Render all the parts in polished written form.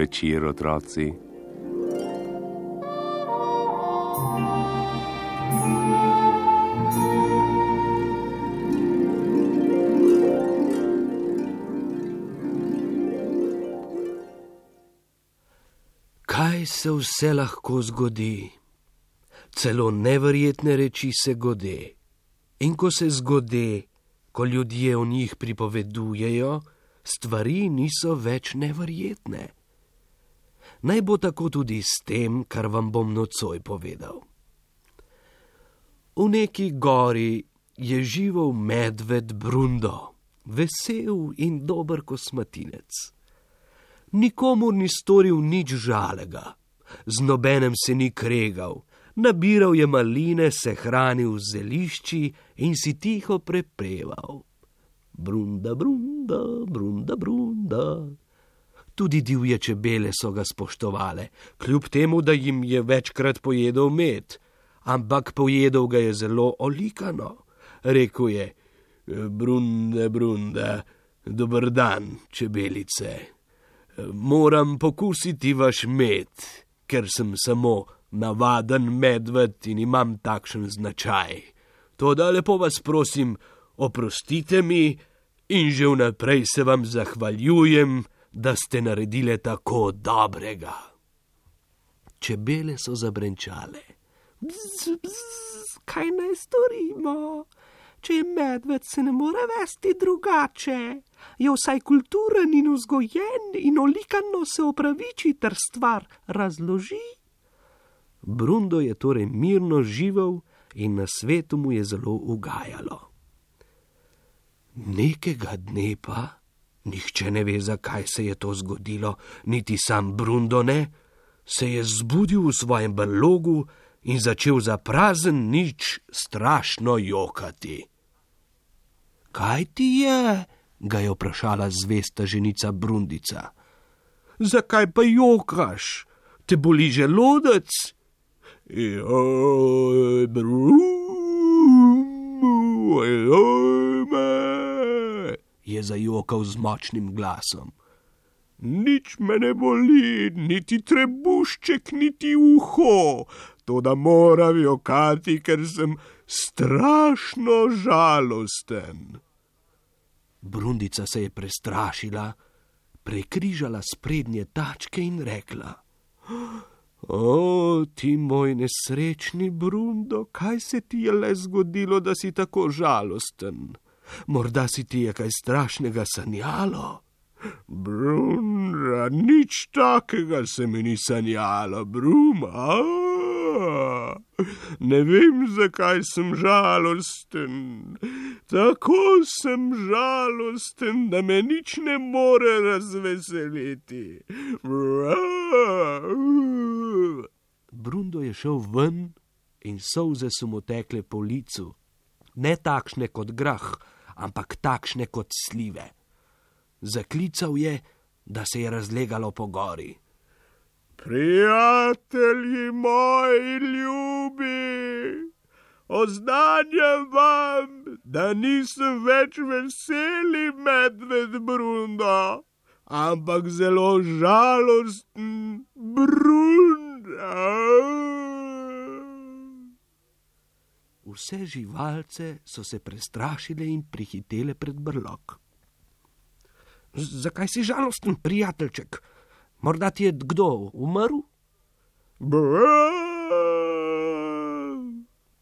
večer, otroci. Kaj se vse lahko zgodi? Celo neverjetne reči se gode. In ko se zgode, ko ljudje o njih pripovedujejo, stvari niso več neverjetne. Naj bo tako tudi s tem, kar vam bom nocoj povedal. V neki gori je živel medved Brundo, vesel in dober kosmatinec. Nikomur ni storil nič žalega, z nobenem se ni kregal, nabiral je maline, se hranil z zelišči in si tiho prepeval. Brunda, brunda, brunda, brunda. Tudi divje čebele so ga spoštovale, kljub temu, da jim je večkrat pojedel med, ampak pojedel ga je zelo olikano. Rekel je: Brunda, brunda, dober dan, čebelice. Moram pokusiti vaš med, ker sem samo navaden medved in imam takšen značaj. Toda lepo vas prosim, oprostite mi in že vnaprej se vam zahvaljujem, da ste naredile tako dobrega. Čebele so zabrenčale. Bzz, bzz, kaj naj storimo? Če je medved, se ne more vesti drugače. Je vsaj kulturen in vzgojen in olikano se opraviči ter stvar razloži. Brundo je torej mirno živel in na svetu mu je zelo ugajalo. Nekega dne pa, nihče ne ve, zakaj se je to zgodilo, niti sam Brundo ne, se je zbudil v svojem brlogu in začel za prazen nič strašno jokati. Kaj ti je? Ga je vprašala zvesta ženica Brundica. Zakaj pa jokaš? Te boli želodec? Joj, je zajokal z močnim glasom. Nič me ne boli, niti trebušček, niti uho, toda moram jokati, ker sem strašno žalosten. Brundica se je prestrašila, prekrižala sprednje tačke in rekla: O, ti moj nesrečni Brundo, kaj se ti je le zgodilo, da si tako žalosten? Morda si ti je kaj strašnega sanjalo? Brunda, nič takega se mi ni sanjalo, Bruma. Ne vem, zakaj sem žalosten. Tako sem žalosten, da me nič ne more razveseliti. Brundo je šel ven in solze so mu tekle po licu. Ne takšne kot grah, ampak takšne kot slive. Zaklical je, da se je razlegalo po gori. Prijatelji moji ljubi, oznanjam vam, da nisem več veseli medved Brundo, ampak zelo žalosten Brunda. Vse živalce so se prestrašile in prihitele pred brlog. Zakaj si žalosten, prijateljček? Morda ti je kdo umrl?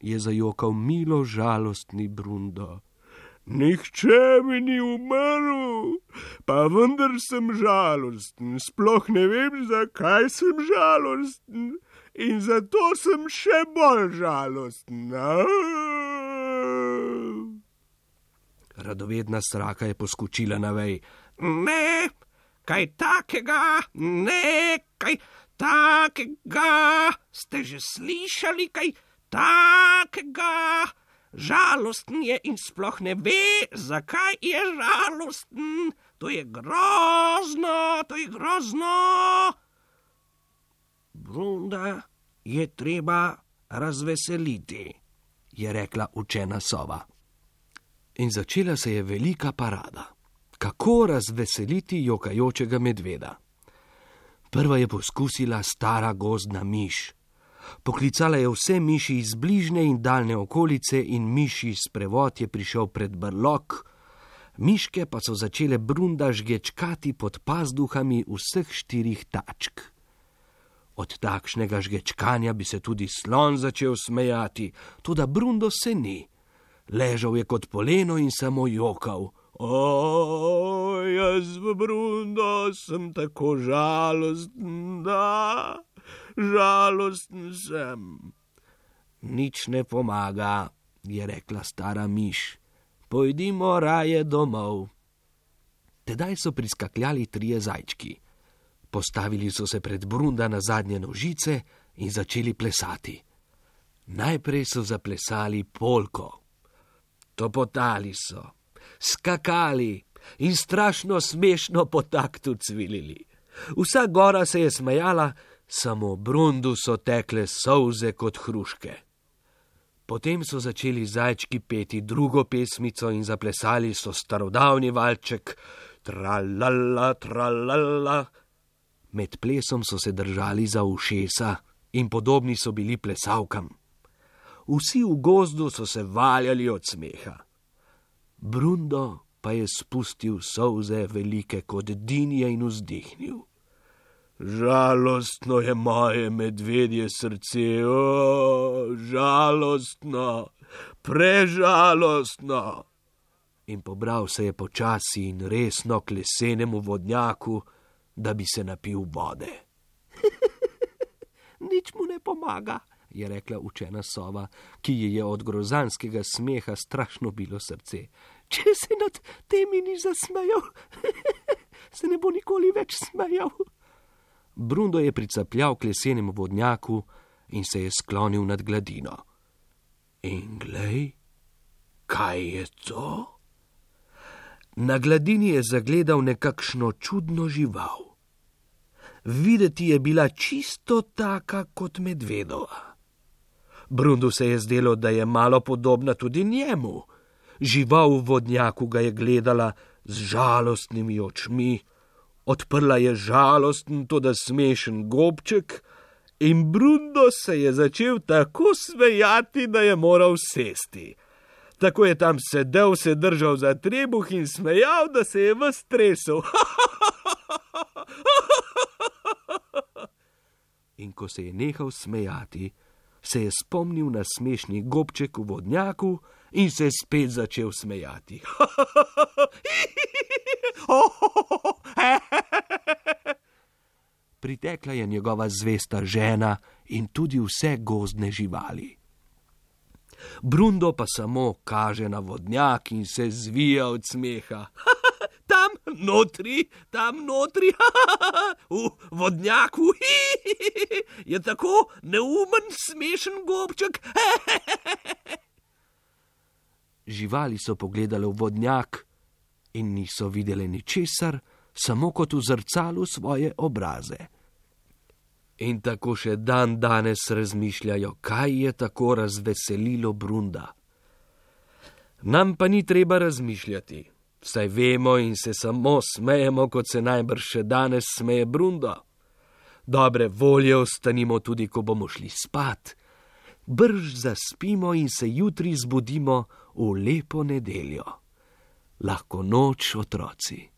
Je zajokal milo žalostni Brundo. Nihče mi ni umrl, pa vendar sem žalosten. Sploh ne vem, zakaj sem žalosten in zato sem še bolj žalosten. Radovedna sraka je poskočila na vej. Ne, kaj takega, ne, kaj takega, ste že slišali kaj takega? Žalosten je in sploh ne ve, zakaj je žalosten. To je grozno, to je grozno. Brunda je treba razveseliti, je rekla učena sova. In začela se je velika parada. Kako razveseliti jokajočega medveda? Prva je poskusila stara gozdna miš. Poklicala je vse miši iz bližnje in daljne okolice in miši sprevod je prišel pred brlog. Miške pa so začele Brunda žgečkati pod pazduhami vseh 4 tačk. Od takšnega žgečkanja bi se tudi slon začel smejati, toda Brundo se ni. Ležal je kot poleno in samo jokal. O, jaz v Brundo sem tako žalosten, da, žalosten sem. Nič ne pomaga, je rekla stara miš. Pojdimo raje domov. Tedaj so priskakljali 3 zajčki. Postavili so se pred Brunda na zadnje nožice in začeli plesati. Najprej so zaplesali polko. Topotali so, skakali in strašno smešno po taktu cvilili. Vsa gora se je smejala, samo Brundu so tekle solze kot hruške. Potem so začeli zajčki peti drugo pesmico in zaplesali so starodavni valček tralala, tralala. Med plesom so se držali za ušesa in podobni so bili plesavkam. Vsi v gozdu so se valjali od smeha. Brundo pa je spustil solze velike kot dinje in vzdihnil. Žalostno je moje medvedje srce, o, žalostno, prežalostno. In pobral se je počasi in resno k lesenemu vodnjaku, da bi se napil vode. Nič mu ne pomaga, je rekla učena sova, ki ji je od grozanskega smeha strašno bilo srce. Če se nad temi ni zasmejal, se ne bo nikoli več smejal. Brundo je pricapljal k lesenemu vodnjaku in se je sklonil nad gladino. In glej, kaj je to? Na gladini je zagledal nekakšno čudno žival. Videti je bila čisto taka kot medvedova. Brundu se je zdelo, da je malo podobna tudi njemu. Žival v vodnjaku ga je gledala z žalostnimi očmi, odprla je žalosten, toda smešen gobček in Brundo se je začel tako smejati, da je moral sesti. Tako je tam sedel, se držal za trebuh in smejal, da se je ves tresel. In ko se je nehal smejati, se je spomnil na smešni gobček v vodnjaku in se spet začel smejati. Pritekla je njegova zvesta žena in tudi vse gozdne živali. Brundo pa samo kaže na vodnjak in se zvija od smeha. Tam notri, v vodnjaku je tako neumen, smešen gobček. Živali so pogledali v vodnjak in niso videli ničesar, samo kot v zrcalu svoje obraze. In tako še dan danes razmišljajo, kaj je tako razveselilo Brunda. Nam pa ni treba razmišljati, saj vemo in se samo smejemo, kot se najbrž še danes smeje Brundo. Dobre volje ostanimo tudi, ko bomo šli spat. Brž zaspimo in se jutri zbudimo v lepo nedeljo. Lahko noč, otroci.